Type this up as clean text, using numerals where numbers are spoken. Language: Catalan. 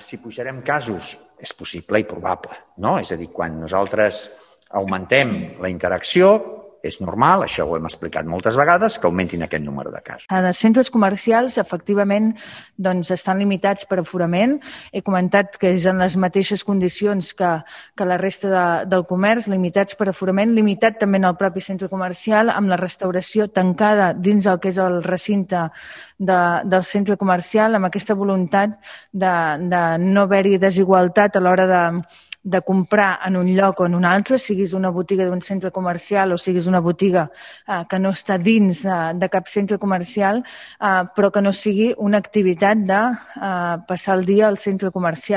si pujarem casos, és possible i probable, no? És a dir, quan nosaltres augmentem la interacció, és normal, això ho hem explicat moltes vegades, que augmentin aquest número de casos. Els centres comercials, efectivament, estan limitats per aforament. He comentat que és en les mateixes condicions que la resta del comerç, limitats per aforament, limitat també en el propi centre comercial, amb la restauració tancada dins el que és el recinte del centre comercial, amb aquesta voluntat de no haver-hi desigualtat a l'hora de comprar en un lloc o en un altre, siguis una botiga d'un centre comercial o siguis una botiga que no està dins de cap centre comercial, però que no sigui una activitat de passar el dia al centre comercial.